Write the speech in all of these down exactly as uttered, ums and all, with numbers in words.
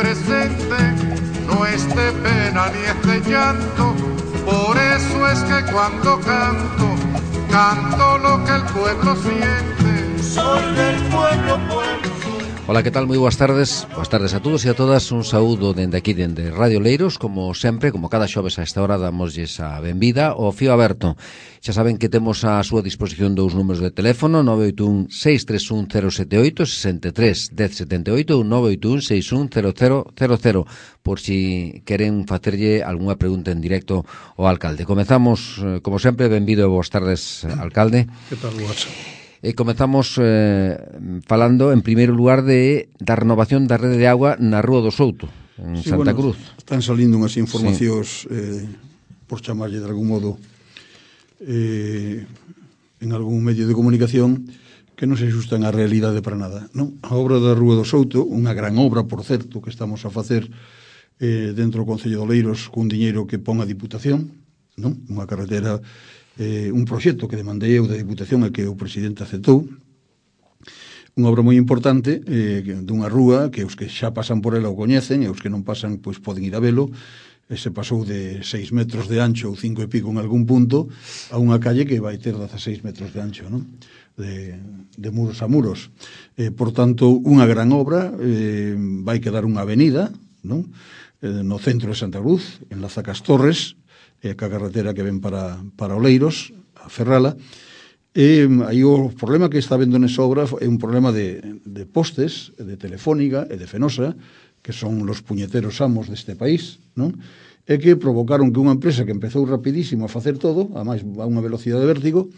presente, no es de pena ni es de llanto. Por eso es que cuando canto, canto lo que el pueblo siente. Soy del pueblo, pueblo. Ola, que tal? Moi boas tardes. Boas tardes a todos e a todas. Un saúdo dende aquí, dende Radio Leiros. Como sempre, como cada xoves a esta hora, damosles a benvida ao fío aberto. Xa saben que temos a súa disposición dous números de teléfono, nove oito un, seis tres un, cero sete oito, seis tres, un cero sete oito ou nove oito un, seis un, cero cero cero cero, por si queren facerlle algunha pregunta en directo ao alcalde. Comezamos, como sempre, benvido e boas tardes, alcalde. Que tal, boas? E comezamos eh, falando, en primeiro lugar, de da renovación da rede de agua na Rúa do Souto, en sí, Santa bueno, Cruz. Están salindo unhas informacións, sí. eh, por chamarlle de algún modo, eh, en algún medio de comunicación, que non se xustan á realidade para nada. Non? A obra da Rúa do Souto, unha gran obra, por certo, que estamos a facer eh, dentro do Concello de Oleiros, cun diñeiro que pon a Diputación, non? Unha carretera... Eh, un proxecto que demandei eu da Diputación e que o presidente aceptou, unha obra moi importante, eh, dunha rúa que os que xa pasan por ela o coñecen e os que non pasan pois poden ir a velo. E se pasou de seis metros de ancho ou cinco e pico en algún punto a unha calle que vai ter dezaseis metros de ancho, non? De, de muros a muros. Eh, por tanto, unha gran obra, eh, vai quedar unha avenida, non? Eh, no centro de Santa Cruz, enlaza cas Torres, e ca carretera que ven para, para Oleiros, a Ferrala. E aí o problema que está vendo nesa obra é un problema de, de postes, de Telefónica e de Fenosa, que son los puñeteros amos deste país, non? E que provocaron que unha empresa que empezou rapidísimo a facer todo, a máis a unha velocidade de vértigo,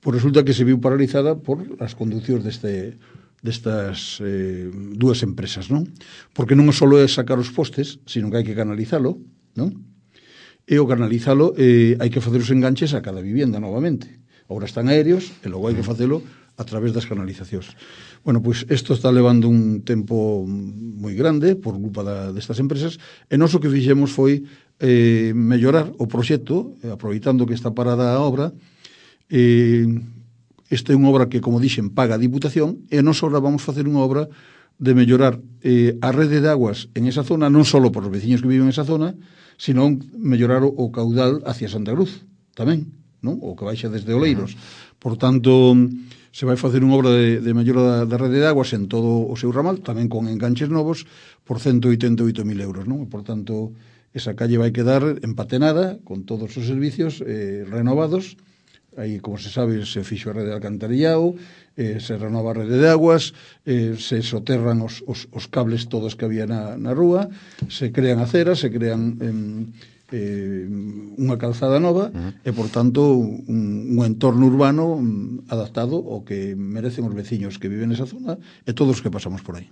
pois resulta que se viu paralizada por as conduccións deste destas eh, dúas empresas, non? Porque non só é sacar os postes, sino que hai que canalizalo, non? E o canalizalo, eh, hai que facer os enganches a cada vivienda novamente. Agora están aéreos e logo hai que facelo a través das canalizacións. Bueno, pois isto está levando un tempo moi grande por culpa da, destas empresas, e nós o que fixemos foi eh, mellorar o proxecto, eh, aproveitando que está parada a obra. Eh, esta é unha obra que, como dixen, paga a Diputación, e nós agora vamos facer unha obra de mellorar eh, a rede de aguas en esa zona, non só por os veciños que viven en esa zona, sino mellorar o, o caudal hacia Santa Cruz, tamén, non? O que baixa desde Oleiros. Por tanto, se vai facer unha obra de, de mellora da, da rede de aguas en todo o seu ramal, tamén con enganches novos, por ciento oitenta e oito mil euros, non? Por tanto, esa calle vai quedar empatenada, con todos os servicios eh, renovados. Aí, como se sabe, se fixo a rede de alcantarillado, eh, se renova a rede de aguas, eh, se soterran os, os, os cables todos que había na, na rúa, se crean aceras, se crean eh, eh, unha calzada nova, uh-huh. e, por tanto, un, un entorno urbano um, adaptado ao que merecen os veciños que viven nesa zona e todos os que pasamos por aí.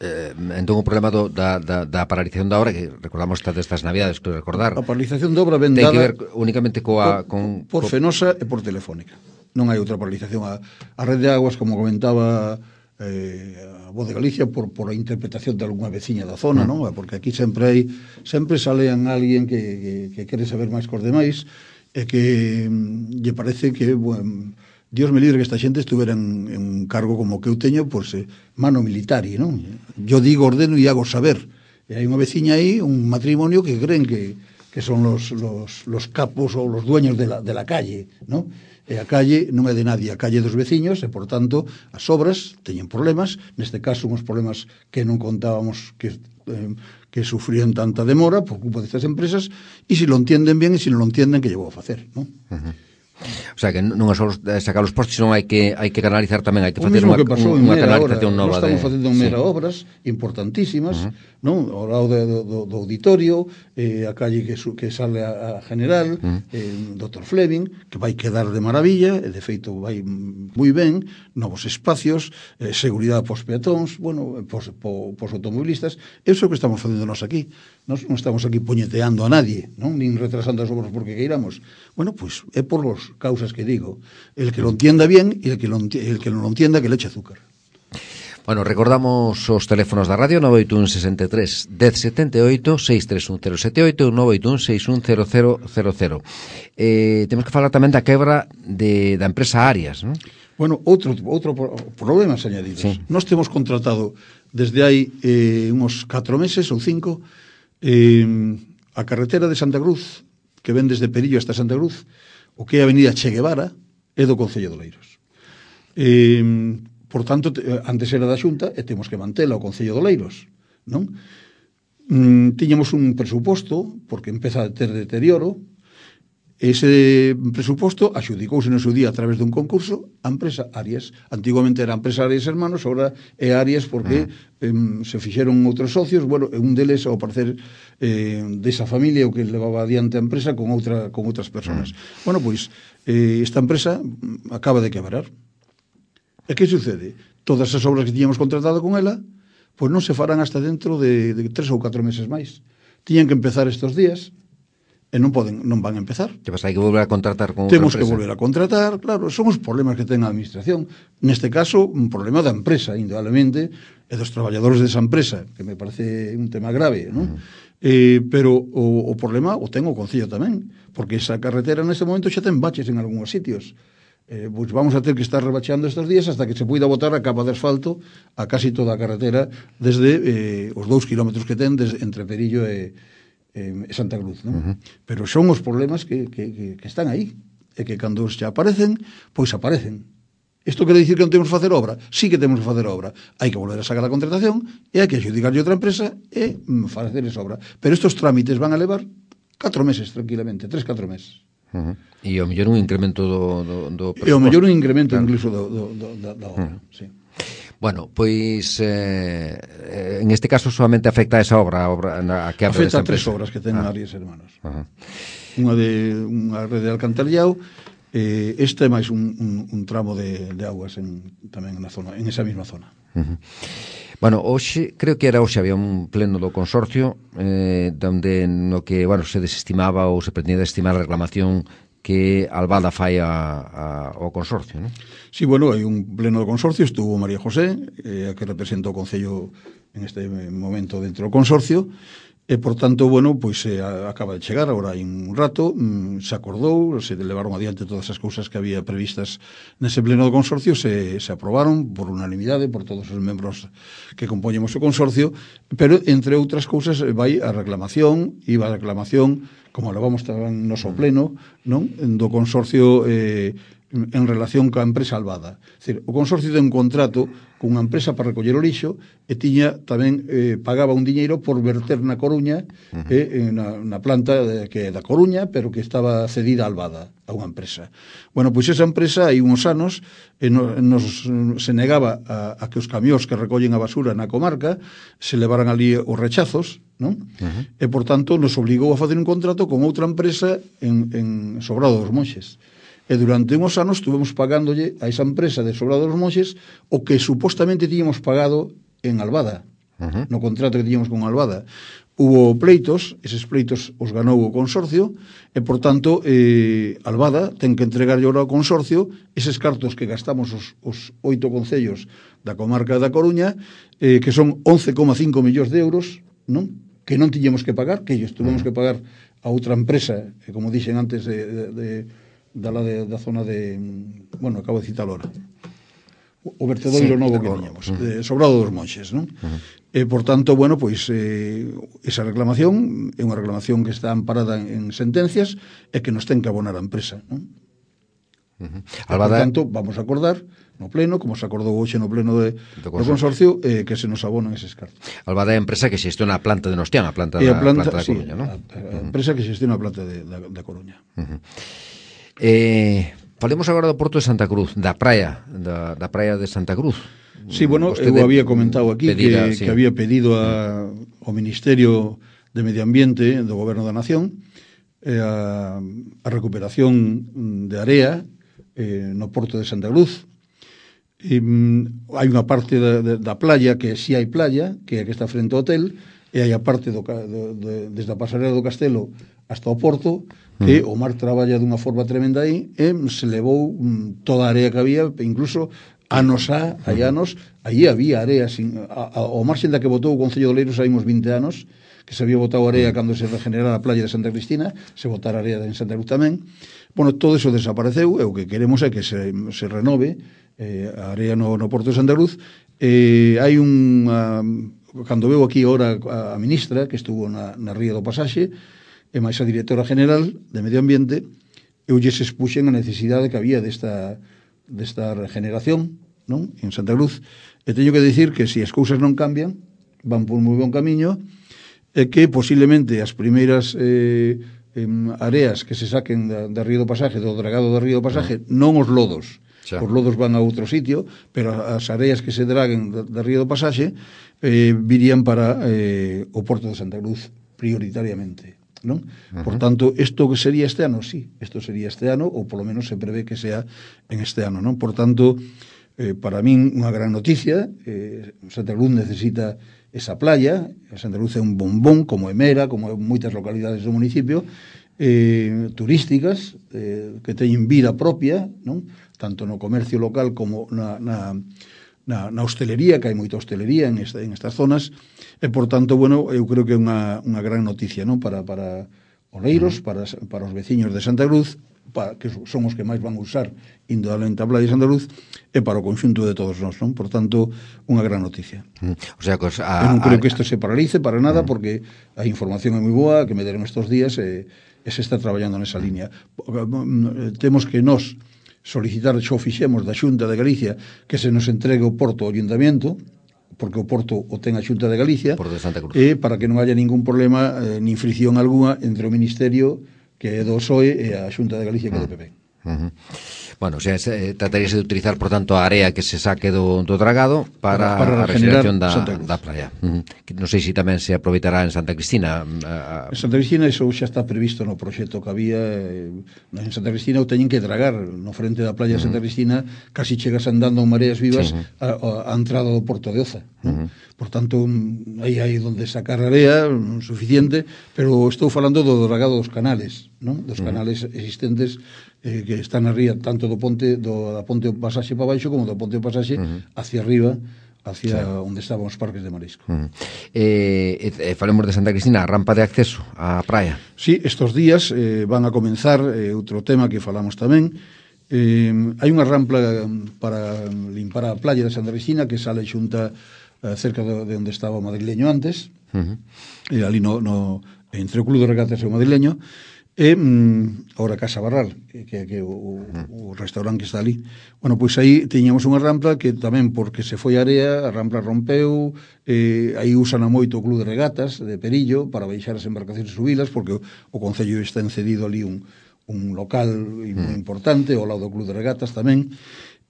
Eh, entón o problema do, da, da, da paralización da obra, que recordamos estas destas navidades, que recordar, a paralización da obra ven ten dada que ver únicamente coa, con, con, por co... Fenosa e por Telefónica. Non hai outra paralización. A, a rede de aguas, como comentaba eh, a Voz de Galicia, por, por a interpretación de algunha veciña da zona, mm. non? Porque aquí sempre hai, sempre salean alguén que, que, que quere saber máis cos demais e que mm, lle parece que, bueno, Dios me libre que esta xente estuvera en, en un cargo como que eu teño, pois, eh, mano militari, non? Yo digo, ordeno e hago saber. E hai unha veciña aí, un matrimonio que creen que, que son los, los, los capos ou los dueños de la, de la calle, non? E a calle non é de nadie, a calle dos veciños, e, por tanto, as obras teñen problemas, neste caso, uns problemas que non contábamos que... Eh, que sufrían tanta demora por culpa destas empresas, e se lo entienden bien e se non lo entienden, que llevou a facer, non? Uh-huh. O sea, que non é só sacar os postes, non hai que hai que canalizar tamén, hai que facer unha, unha canalización nova. Nós estamos facendo en Mera sí. obras importantísimas, uh-huh. non? Ao lado do, do, do auditorio, eh, a calle que, su, que sale a, a General, uh-huh. eh, doutor Fleming, que vai quedar de maravilla, e de feito vai moi ben, novos espacios, eh, seguridade pos peatóns, bueno, pos, pos, pos automobilistas. Eso é o que estamos facendo nós aquí. Nós non estamos aquí puñeteando a nadie, non? Nin retrasando as obras porque queiramos. Bueno, pois pues, é por os causas que digo. El que lo entienda bien e el que, lo, el que non lo entienda que le eche azúcar. Bueno, recordamos os teléfonos da radio nove oito un, sesenta e tres, dez setenta e oito, seis tres un, cero sete oito e nove oito un, seis un, cero cero cero cero. Eh, temos que falar tamén da quebra de, da empresa Arias, non? Bueno, outro, outro problema añadidos. Sí. Nós temos contratado desde hai eh, uns catro meses ou cinco eh, a carretera de Santa Cruz, que ven desde Perillo hasta Santa Cruz, o que é a avenida Che Guevara, é do Concello de Oleiros. Eh, por tanto, antes era da Xunta e temos que mantela o Concello de Oleiros, non? Mm, tiñamos un presuposto, porque empeza a ter deterioro. Ese presuposto axudicouse no seu día a través dun concurso a empresa Arias. Antiguamente era a empresa Arias Hermanos, agora é Arias porque eh, se fixeron outros socios. Bueno, un deles, ao parecer, eh, desa familia o que levaba adiante a empresa con outra con outras persoas. Bueno, pois, eh, esta empresa acaba de quebrar. E que sucede? Todas as obras que tiñamos contratado con ela, pois non se farán hasta dentro de, de tres ou catro meses máis. Tiñan que empezar estes días, e non poden, non van a empezar. Que pasa, hai que volver a contratar con outra Temos empresa. que volver a contratar, claro, son os problemas que ten a administración. Neste caso, un problema da empresa, indudablemente, e dos traballadores desa empresa, que me parece un tema grave, non? Uh -huh. eh, pero o, o problema o ten o Concello tamén, porque esa carretera neste momento xa ten baches en algúns sitios. Eh, pois vamos a ter que estar rebacheando estes días hasta que se poida botar a capa de asfalto a casi toda a carretera desde eh, os dous kilómetros que ten desde, entre Perillo e eh, Santa Cruz, non? Uh -huh. Pero son os problemas que, que, que, que están aí, e que cando xa aparecen, pois aparecen. Isto quere dicir que non temos que facer obra? Sí que temos que facer obra. Hai que volver a sacar a contratación e hai que adjudicarlle outra empresa e mm, facer esa obra. Pero estos trámites van a levar catro meses, tranquilamente, tres, catro meses. Uh -huh. E ao mellor un incremento do, do, do presuposto. E ao mellor un incremento, claro, incluso do, do, do, da, da obra, uh -huh. Sí. Bueno, pois eh, en este caso solamente afecta a esa obra, a obra a que abre afecta a tres obras que ten ah. Arias Hermanos. Uh -huh. Unha de unha rede de alcantarillado, eh, esta é máis un, un, un tramo de, de aguas en, tamén na zona, en esa mesma zona. Uh -huh. Bueno, hoxe, creo que era hoxe, había un pleno do consorcio eh, donde no que, bueno, se desestimaba ou se pretendía desestimar a reclamación que Albada fai a, a, ao consorcio, non? Sí, bueno, hai un pleno do consorcio, estuvo María José, eh, que representa o Concello en este momento dentro do consorcio, e, por tanto, bueno, pois eh, acaba de chegar, agora hai un rato, mm, se acordou, se levaron adiante todas as cousas que había previstas nese pleno do consorcio, se, se aprobaron por unanimidade, por todos os membros que compoñemos o consorcio, pero, entre outras cousas, vai a reclamación, iba a reclamación, como levamos tamén noso pleno, non? Do consorcio eh, en relación coa empresa Albada. É dicir, o consorcio ten un contrato con unha empresa para recoller o lixo e tiña tamén eh, pagaba un diñeiro por verter na Coruña, uh -huh. eh, na, na planta de, que é da Coruña, pero que estaba cedida a Albada, a unha empresa. Bueno, pois esa empresa hai uns anos eh, nos, nos se negaba a, a que os camións que recollen a basura na comarca se levaran ali os rechazos, non? Uh -huh. E, por tanto, nos obligou a facer un contrato con outra empresa en, en Sobrado dos Monxes. E durante uns anos estuvemos pagándolle a esa empresa de Sobrado dos Monxes o que supostamente tíamos pagado en Albada, uh -huh. no contrato que tíamos con Albada. Hubo pleitos, eses pleitos os ganou o consorcio, e, por tanto, eh, Albada ten que entregar agora ao consorcio eses cartos que gastamos os, os oito concellos da comarca da Coruña, eh, que son once coma cinco millóns de euros, non? Que non tiñamos que pagar, que ellos tuvemos que pagar a outra empresa, que, como dixen antes, de... de, de da, la de, da zona de, bueno, acabo de citar ahora, o vertedoiro sí, novo que tiñamos, uh -huh. Sobrado dos Monxes, non? Uh -huh. E, por tanto, bueno, pois eh, esa reclamación é unha reclamación que está amparada en, en sentencias e que nos ten que abonar a empresa, non? Uh -huh. Albada... Por tanto, vamos a acordar no pleno, como se acordou hoxe no pleno de, do consorcio, eh, que se nos abonan eses cartos. Albada é a empresa que xestiona a planta de Nostián, a planta, da, planta, planta da sí, Coruña, non? A, a, a empresa que xestiona a planta de, da, da Coruña. Uh -huh. Eh, falemos agora do Porto de Santa Cruz, da praia, da, da praia de Santa Cruz. Sí, bueno, eu había comentado aquí pedira, que, sí. que había pedido a, ao Ministerio de Medio Ambiente do Goberno da Nación eh, a, a recuperación de area eh, no Porto de Santa Cruz. E, mm, hai unha parte da, da, da playa que si sí hai playa, que é a que está frente ao hotel, e hai a parte do, do, de, desde a pasarela do Castelo hasta o Porto, que o mar traballa dunha forma tremenda aí, e se levou mm, toda a area que había, incluso anos a, hai anos, aí había area, sin, a, a, ao marxen da que botou o Concello de Oleiros hai uns vinte anos, que se había botado area cando se regenerara a playa de Santa Cristina, se botara area en Santa Cruz tamén. Bueno, todo eso desapareceu, e o que queremos é que se, se renove eh, a area no, no Porto de Santa Cruz. Eh, hai unha... Cando veo aquí ahora a, a ministra, que estuvo na, na Ría do Pasaxe, e máis a directora general de Medio Ambiente, eu lles expuxen a necesidade que había desta, desta regeneración, non? En Santa Cruz, e teño que dicir que se as cousas non cambian, van por moi bon camiño, e que posiblemente as primeiras eh, em, areas que se saquen da, da Río do Pasaje, do dragado do Río do Pasaje, non os lodos, xa. Os lodos van a outro sitio, pero as areas que se draguen da, da Río do Pasaxe eh, virían para eh, o Porto de Santa Cruz prioritariamente, non? Uh-huh. Por tanto, isto que sería este ano, sí, isto sería este ano, ou polo menos se prevé que sea en este ano, non? Por tanto, eh, para min unha gran noticia, eh, Santa Cruz necesita esa playa, Santa Cruz é un bombón, como Emera, como moitas localidades do municipio, eh, turísticas, eh, que teñen vida propia, non? Tanto no comercio local como na, na, na, na hostelería, que hai moita hostelería en, esta, en estas zonas, e, por tanto, bueno, eu creo que é unha, unha gran noticia, non? Para, para Oleiros, para, para os veciños de Santa Cruz, para, que son os que máis van usar indudablemente a playa de Santa Cruz, e para o conxunto de todos nós, non? Por tanto, unha gran noticia. Mm. O sea, pues, a, eu non creo a, que isto se paralice para nada, mm. porque a información é moi boa, que me deron estes días, e, e se está traballando nesa línea. Temos que nós solicitar, xo fixemos da Xunta de Galicia, que se nos entregue o porto ao Ayuntamiento, porque o porto o ten a Xunta de Galicia, Porto de Santa Cruz. E para que non haya ningún problema eh, ni fricción alguna entre o Ministerio que é do P S O E e a Xunta de Galicia que é do P P. Uh-huh. Bueno, o sea, se, trataríase de utilizar, por tanto, a area que se saque do, do dragado para, para a regeneración da, da playa. Uh-huh. Non sei se tamén se aproveitará en Santa Cristina. A... En Santa Cristina iso xa está previsto no proxecto que había. En Santa Cristina o teñen que dragar no frente da playa de Santa Cristina, casi chegas andando en mareas vivas, sí, a, a entrada do Porto de Oza. Uh-huh. Por tanto, aí hai onde sacar area suficiente, pero estou falando do dragado dos canales, non? Dos canales uh-huh. existentes eh, que están na ría, tanto do ponte do da ponte do pasaxe para baixo como do ponte do pasaxe uh-huh. hacia arriba, hacia sí. onde estaban os parques de marisco. Uh-huh. eh, eh, falemos de Santa Cristina, a rampa de acceso á praia. Sí, estos días eh, van a comenzar eh, outro tema que falamos tamén. Eh, hai unha rampa para limpar a playa de Santa Cristina que sale xunta eh, cerca de, de onde estaba o madrileño antes, uh-huh. e ali no, no, entre o Club de Regatas e o madrileño, e mm, ahora Casa Barral, que, que, que o, o restaurante que está ali. Bueno, pois aí tiñamos unha rampa que tamén, porque se foi a area, a rampa rompeu, eh, aí usan a moito o Club de Regatas de Perillo para baixar as embarcacións e subilas, porque o, o Concello está encedido ali un, un local moi importante, ao lado do Club de Regatas tamén,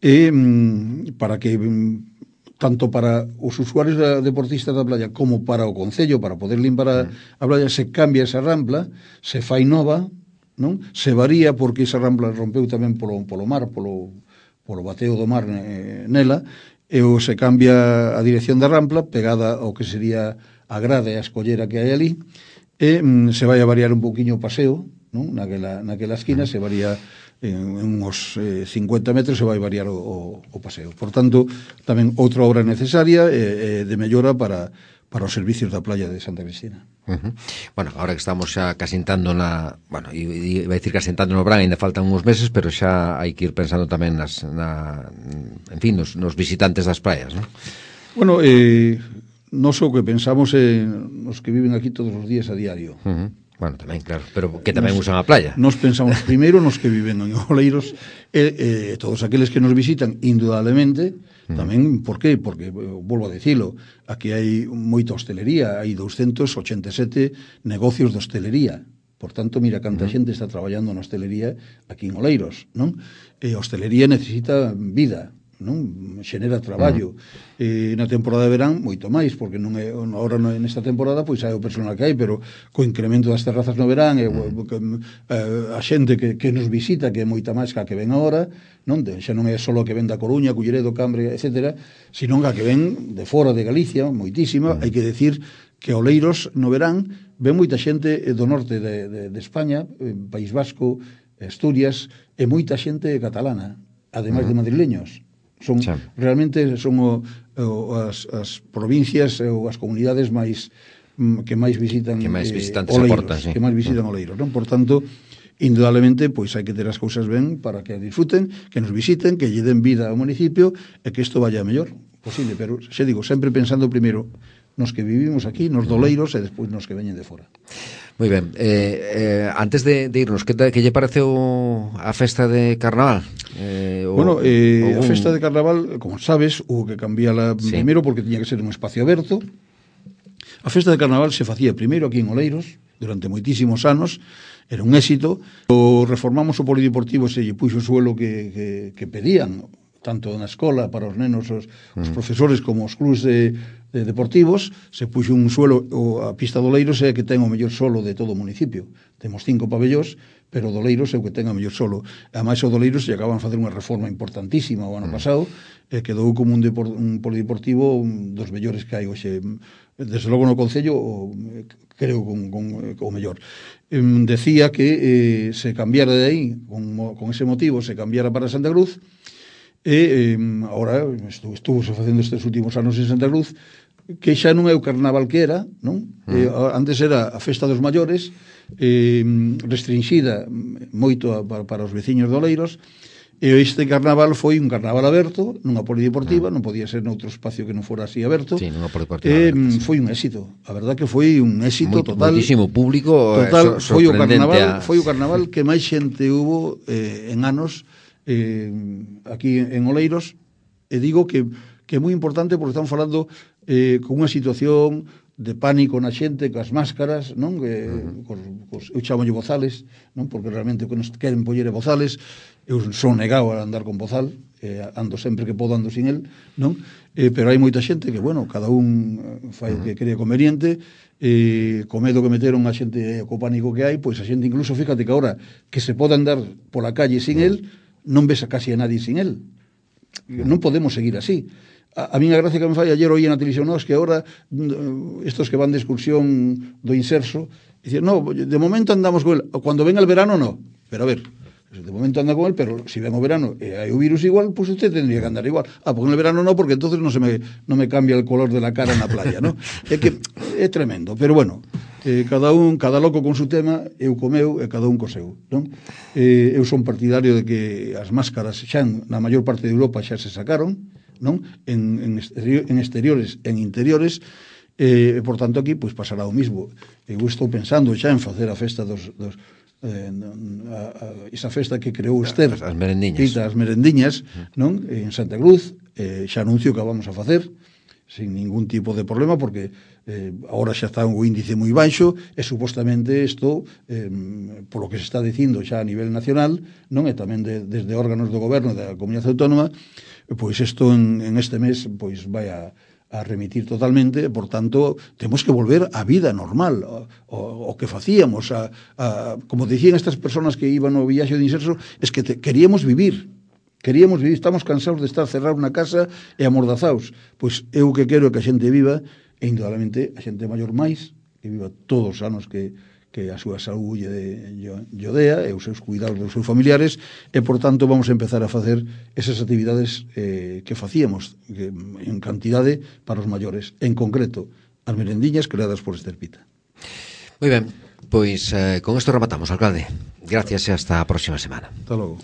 e mm, para que... Mm, tanto para os usuarios deportistas da playa como para o Concello, para poder limpar a, a playa, se cambia esa rampla, se fai nova, non? Se varía porque esa rampla rompeu tamén polo, polo mar, polo, polo bateo do mar eh, nela, e o se cambia a dirección da rampla, pegada ao que sería a grade e a escollera que hai ali, e mm, se vai a variar un poquinho o paseo, non? Naquela, naquela esquina se varía en uns eh, cincuenta metros, se vai variar o, o, o paseo. Por tanto, tamén outra obra necesaria eh, eh, de mellora para, para os servicios da playa de Santa Cristina. Uh-huh. Bueno, agora que estamos xa casi entrando na... Bueno, iba a decir casi entrando no verán, ainda faltan uns meses, pero xa hai que ir pensando tamén nas, na, en fin, nos, nos visitantes das praias, non? Bueno, eh, non só que pensamos en nos que viven aquí todos os días a diario. Uh-huh. Bueno, tamén, claro, pero que tamén nos, usan a playa. Nos pensamos primeiro nos que viven en Oleiros e eh, todos aqueles que nos visitan, indudablemente, mm. tamén, por qué? Porque, volvo a dicilo, aquí hai moita hostelería, hai doscientos ochenta e sete negocios de hostelería. Por tanto, mira canta mm. xente está traballando na hostelería aquí en Oleiros, non? E a hostelería necesita vida, non? Xenera traballo. Mm. E na temporada de verán moito máis, porque non é agora nesta temporada pois hai o personal que hai, pero co incremento das terrazas no verán e mm. a xente que, que nos visita, que é moita máis que a que ven agora, non? Xa non é só a que ven da Coruña, Culleredo, Cambre, etcétera, sino a que ven de fora de Galicia, moitísima. Mm. Hai que decir que Oleiros no verán ven moita xente do norte de, de, de España, País Vasco, Asturias, e moita xente catalana, ademais mm. de madrileños. Son sí. realmente son o, o, as, as provincias ou as comunidades máis que máis visitan que máis visitantes eh, Oleiros, aportan, sí. que máis visitan Oleiros, non? Por tanto, indudablemente, pois hai que ter as cousas ben para que disfruten, que nos visiten, que lle den vida ao municipio e que isto vaya mellor posible, pero xe digo, sempre pensando primeiro nos que vivimos aquí, nos doleiros e despois nos que veñen de fora. Moi ben, eh, eh, antes de, de irnos, que, que lle pareceu a festa de Carnaval? Eh, o, bueno, eh, un... a festa de Carnaval, como sabes, hubo que cambiarla sí. primeiro porque tiña que ser un espacio aberto. A festa de Carnaval se facía primeiro aquí en Oleiros, durante moitísimos anos, era un éxito. O reformamos o polideportivo, se lle puxo o suelo que, que, que pedían, tanto na escola para os nenos, os, mm. os profesores como os clubs de, de deportivos, se puxo un suelo, o a pista do Oleiros é que ten o mellor solo de todo o municipio. Temos cinco pabellóns, pero o Oleiros é o que ten o mellor solo. Ademais, o Oleiros lle acaban a facer unha reforma importantísima o ano mm. pasado, e quedou como un, depor, un polideportivo un dos mellores que hai hoxe. Desde logo no Concello, o, creo con, con, o mellor. Eh, decía que eh, se cambiara de aí, con, con ese motivo, se cambiara para Santa Cruz, e eh, agora estuvo, estuvo facendo estes últimos anos en Santa Cruz, que xa non é o carnaval que era, non? Mm. Eh, antes era a festa dos maiores, eh, restringida moito a, para, para os veciños de Oleiros, e este carnaval foi un carnaval aberto nunha polideportiva, non podía ser noutro espacio que non fora así aberto. Sí, nunha polideportiva eh, aberta, sí. Foi un éxito, a verdad que foi un éxito Muy, total. Moitísimo público, total, so, foi o carnaval, a... foi o carnaval que máis xente hubo eh, en anos eh, aquí en Oleiros, e digo que que é moi importante porque estamos falando eh, con unha situación de pánico na xente, coas máscaras, non? Que, uh-huh. cos, cos, eu chamolle bozales, non? Porque realmente o que nos queren poñer é bozales. Eu son negado a andar con bozal, eh, ando sempre que podo ando sin el, non? Eh, pero hai moita xente que, bueno, cada un fai o que cree conveniente, eh, co medo que meteron a xente co pánico que hai, pois a xente incluso, fíjate que ahora que se pode andar pola calle sin el, non ves a casi a nadie sin el. Non podemos seguir así. A, a mí a gracia que me fai, ayer oí na televisión, no, es que ahora estos que van de excursión do Inserso, dicen, no, de momento andamos con el, cuando venga el verano no, pero a ver, de momento anda con él, pero si ven o verano e hai o virus igual, pues usted tendría que andar igual. Ah, porque en el verano no, porque entonces no se me, no me cambia el color de la cara en la playa, ¿no? É que é tremendo, pero bueno, eh, cada un, cada loco con su tema, eu co meu e cada un co seu, non? Eh, eu son partidario de que as máscaras xa na maior parte de Europa xa se sacaron, non? En, en, exterior, en exteriores, en interiores, e, eh, por tanto, aquí, pois, pasará o mismo. Eu estou pensando xa en facer a festa dos... dos Eh, a, a, esa festa que creou Esther, as merendiñas, as merendiñas, non? En Santa Cruz, eh, xa anuncio que a vamos a facer sin ningún tipo de problema, porque eh, agora xa está un índice moi baixo e supostamente isto, eh, por lo que se está dicindo xa a nivel nacional, non, e tamén de, desde órganos do goberno da Comunidade Autónoma, pois isto en, en este mes pois vai a a remitir totalmente, por tanto, temos que volver á vida normal, o, o, o que facíamos, a, a, como dicían estas personas que iban ao viaxe de Inserso, es que te, queríamos vivir, queríamos vivir, estamos cansados de estar cerrados na casa e amordazados. Pois eu que quero que a xente viva, e indudablemente a xente maior máis, que viva todos os anos que, que a súa saúde lle odea, e os seus cuidados dos seus familiares, e, por tanto, vamos a empezar a facer esas actividades eh, que facíamos que, en cantidade para os maiores, en concreto, as merendiñas creadas por Esther Pita. Moi ben, pois eh, con isto rematamos, alcalde. Gracias e hasta a próxima semana. Hasta logo.